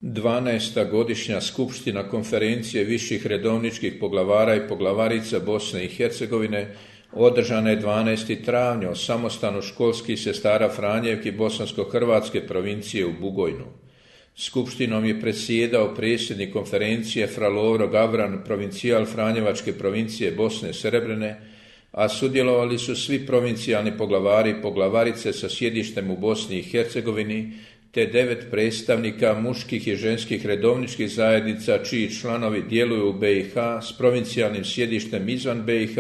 12. godišnja skupština konferencije viših redovničkih poglavara i poglavarica Bosne i Hercegovine održana je 12. travnja u samostanu školskih sestara Franjevki Bosansko-Hrvatske provincije u Bugojnu. Skupštinom je predsjedao predsjednik konferencije Fra Lovro Gavran, provincijal Franjevačke provincije Bosne Srebrene, a sudjelovali su svi provincijalni poglavari i poglavarice sa sjedištem u Bosni i Hercegovini, te 9 predstavnika muških i ženskih redovničkih zajednica čiji članovi djeluju u BiH s provincijalnim sjedištem izvan BiH,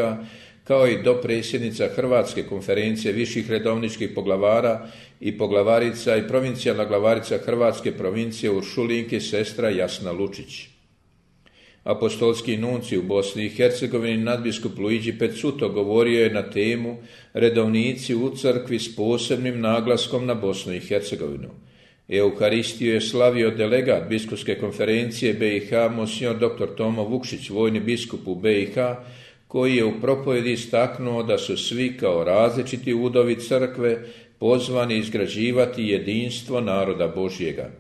kao i dopredsjednica Hrvatske konferencije viših redovničkih poglavara i poglavarica i provincijalna glavarica Hrvatske provincije Uršulinke sestra Jasna Lučić. Apostolski nuncij u Bosni i Hercegovini nadbiskup Luigi Pezzuto govorio je na temu redovnici u crkvi s posebnim naglaskom na Bosnu i Hercegovinu. Euharistiju je slavio delegat biskupske konferencije BiH monsignor dr. Tomo Vukšić, vojni biskup u BiH, koji je u propovjedi istaknuo da su svi kao različiti udovi crkve pozvani izgrađivati jedinstvo naroda Božjega.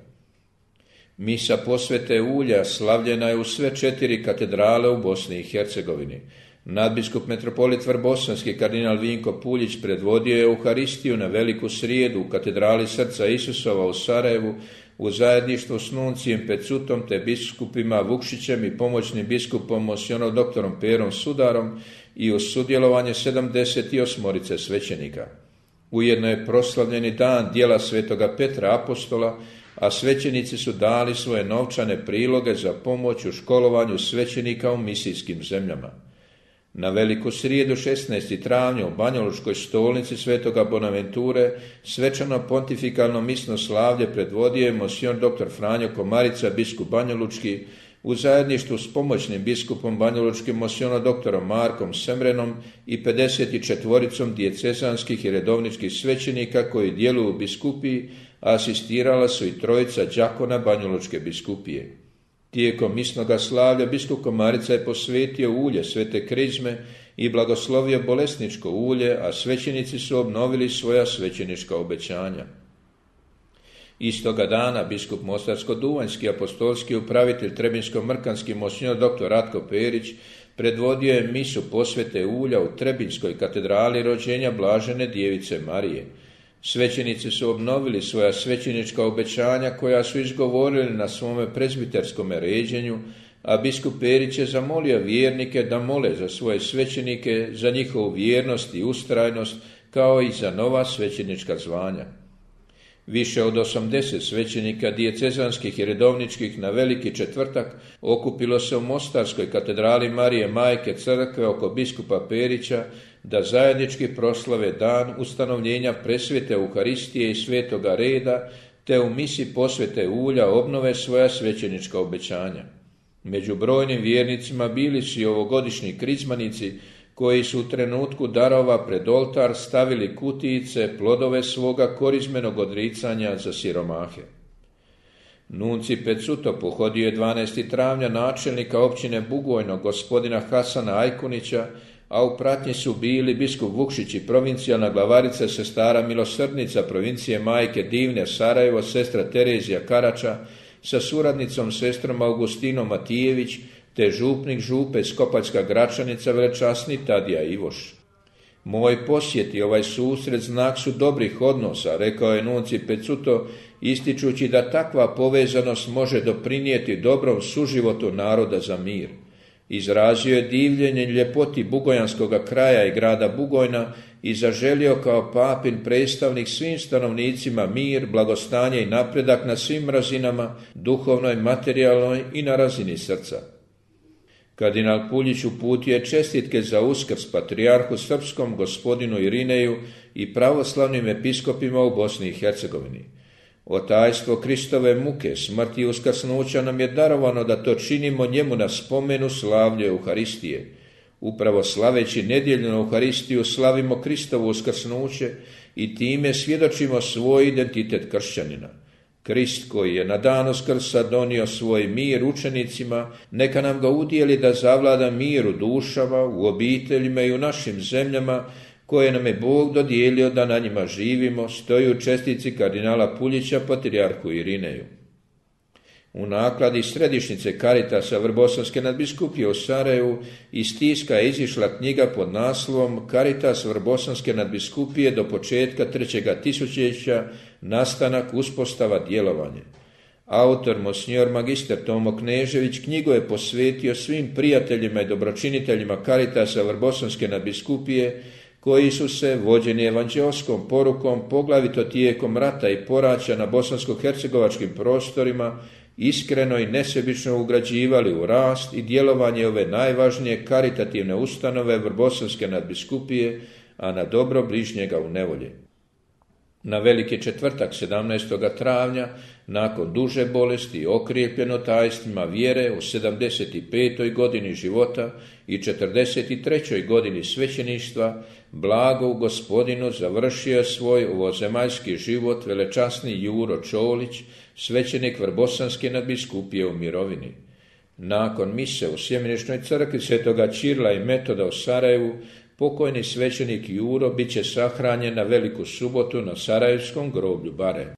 Misa posvete ulja slavljena je u sve 4 katedrale u Bosni i Hercegovini. Nadbiskup metropolit Vrbosanski kardinal Vinko Puljić predvodio je Euharistiju na Veliku srijedu u katedrali Srca Isusova u Sarajevu u zajedništvu s nuncijem Pezzutom te biskupima Vukšićem i pomoćnim biskupom monsignorom doktorom Perom Sudarom i uz sudjelovanje 78 svećenika. Ujedno je proslavljeni dan djela svetoga Petra Apostola, a svećenici su dali svoje novčane priloge za pomoć u školovanju svećenika u misijskim zemljama. Na Veliku srijedu 16. travnja u Banjalučkoj stolnici svetoga Bonaventure svečano pontifikalno misno slavlje predvodio je monsignor dr. Franjo Komarica, biskup Banjalučki, u zajedništvu s pomoćnim biskupom Banjalučkim monsignorom dr. Markom Semrenom i 54 dijecezanskih i redovničkih svećenika koji djeluju u biskupiji, a asistirala su i 3 đakona Banjalučke biskupije. Tijekom misnoga slavlja biskup Komarica je posvetio ulje svete krizme i blagoslovio bolesničko ulje, a svećenici su obnovili svoja svećenička obećanja. Istoga dana biskup Mostarsko-duvanjski apostolski upravitelj Trebinsko-mrkanski monsignor dr. Ratko Perić predvodio je misu posvete ulja u Trebinskoj katedrali rođenja Blažene djevice Marije. Svećenici su obnovili svoja svećenička obećanja koja su izgovorili na svome prezbiterskom ređenju, a biskup Perić je zamolio vjernike da mole za svoje svećenike, za njihovu vjernost i ustrajnost, kao i za nova svećenička zvanja. Više od 80 svećenika dijecezanskih i redovničkih na Veliki četvrtak okupilo se u Mostarskoj katedrali Marije Majke crkve oko biskupa Perića da zajednički proslave dan ustanovljenja presvete Euharistije i svetoga reda, te u misi posvete ulja obnove svoja svećenička obećanja. Među brojnim vjernicima bili su i ovogodišnji krizmanici koji su u trenutku darova pred oltar stavili kutijice, plodove svoga korizmenog odricanja za siromahe. Nuncij Pezzuto pohodio je 12. travnja načelnika općine Bugojno gospodina Hasana Ajkunića, a u pratnji su bili biskup Vukšić i provincijalna glavarica sestara Milosrdnica provincije Majke Divne Sarajevo, sestra Terezija Karača, sa suradnicom sestrom Augustinom Matijević, te župnik župe Skopaljska Gračanica velečasni Tadija Ivoš. Moj posjet i ovaj susret znak su dobrih odnosa, rekao je nuncij Pezzuto, ističući da takva povezanost može doprinijeti dobrom suživotu naroda za mir. Izrazio je divljenje ljepoti bugojanskoga kraja i grada Bugojna i zaželio kao papin predstavnik svim stanovnicima mir, blagostanje i napredak na svim razinama, duhovnoj, materijalnoj i na razini srca. Kardinal Puljić uputio je čestitke za Uskrs patrijarhu srpskom gospodinu Irineju i pravoslavnim episkopima u Bosni i Hercegovini. Otajstvo Kristove muke, smrti i uskrsnuća nam je darovano da to činimo njemu na spomenu slavlje Euharistije. Upravo slaveći nedjeljnu Euharistiju slavimo Kristovo uskrsnuće i time svjedočimo svoj identitet kršćanina. Krist koji je na dan Uskrsa donio svoj mir učenicima, neka nam ga udijeli da zavlada mir u dušama, u obiteljima i u našim zemljama, koje nam je Bog dodijelio da na njima živimo, stoji u čestici kardinala Puljića patrijarhu Irineju. U nakladi središnjice Caritasa Vrbosanske nadbiskupije u Sarajevu iz tiska je izišla knjiga pod naslovom Caritas Vrbosanske nadbiskupije do početka 3. tisućljeća, nastanak, uspostava, djelovanje. Autor monsignor magister Tomo Knežević knjigu je posvetio svim prijateljima i dobročiniteljima Caritasa Vrbosanske nadbiskupije koji su se, vođeni evanđeoskom porukom, poglavito tijekom rata i poraća na bosansko-hercegovačkim prostorima, iskreno i nesebično ugrađivali u rast i djelovanje ove najvažnije karitativne ustanove Vrbosanske nadbiskupije, a na dobro bližnjega u nevolji. Na Veliki četvrtak 17. travnja, nakon duže bolesti i okrijepljeno tajstvima vjere u 75. godini života i 43. godini svećeništva, blago u Gospodinu završio svoj ovozemaljski život velečasni Juro Čolić, svećenik Vrbosanske nadbiskupije u mirovini. Nakon mise u Sjemeničnoj crkvi Svetoga Čirila i Metoda u Sarajevu, pokojni svećenik Juro bit će sahranjen na Veliku subotu na Sarajevskom groblju Bare.